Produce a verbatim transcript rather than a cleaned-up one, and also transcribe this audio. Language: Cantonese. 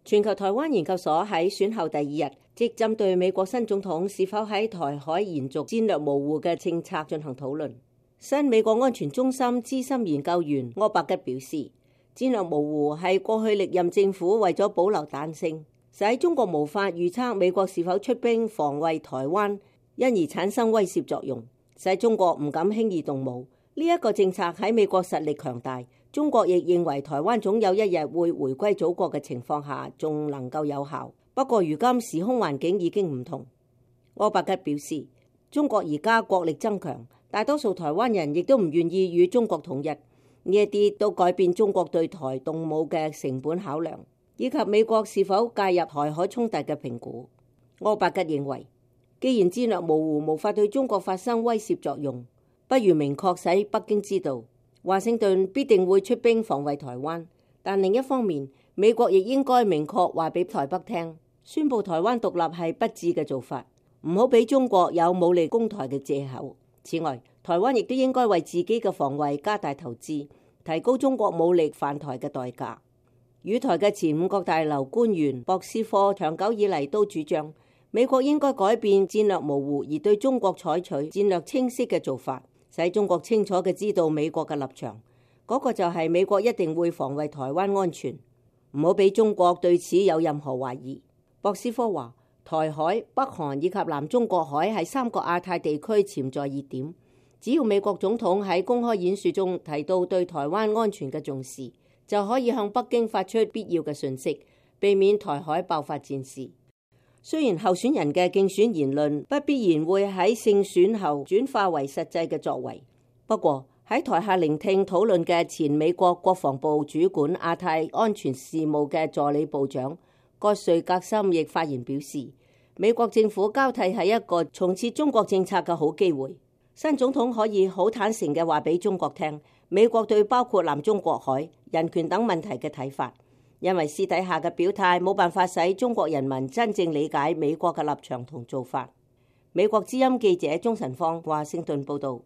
全球台灣研究所喺選後第二日，即針對美國新總統是否喺台海延續戰略模糊嘅政策進行討論。新美國安全中心資深研究員柯伯吉表示，戰略模糊係過去歷任政府為咗保留彈性，使中國無法預測美國是否出兵防衛台灣，因而產生威懾作用，使中國唔敢輕易動武。呢、這、一個政策喺美國實力強大，中國亦認為台灣總有一日會回歸祖國嘅情況下，仲能夠有效。不過如今時空環境已經唔同。柯伯吉表示，中國而家國力增強，大多數台灣人亦都唔願意與中國統一，呢一啲都改變中國對台動武嘅成本考量，以及美國是否介入台海衝突嘅評估。柯伯吉認為，既然戰略模糊無法對中國發生威懾作用，不如明確使北京知道華盛頓必定會出兵防衛台灣，但另一方面，美國亦應該明確話俾台北聽，宣布台灣獨立係不智嘅做法，唔好俾中國有武力攻台嘅借口。此外，台灣亦都應該為自己嘅防衛加大投資，提高中國武力犯台嘅代價。與台嘅前五角大樓官員博斯科長久以嚟都主張，美國應該改變戰略模糊而對中國採取戰略清晰嘅做法，使中國清楚嘅知道美國嘅立場，嗰、那個就係美國一定會防衛台灣安全，唔好俾中國對此有任何懷疑。博斯科話，台海、北韓以及南中國海係三個亞太地區潛在熱點，只要美國總統喺公開演說中提到對台灣安全嘅重視，就可以向北京發出必要嘅訊息，避免台海爆發戰事。雖然候選人嘅競選言論不必然會喺勝選後轉化為實際嘅作為，不過喺台下聆聽討論嘅前美國國防部主管亞太安全事務嘅助理部長葛瑞格森亦發言表示，美國政府交替係一個重設中國政策嘅好機會。新總統可以好坦誠嘅話俾中國聽，美國對包括南中國海、人權等問題嘅睇法。因為私底下嘅表態冇辦法使中國人民真正理解美國嘅立場同做法。美國之音記者鍾晨芳華盛頓報道。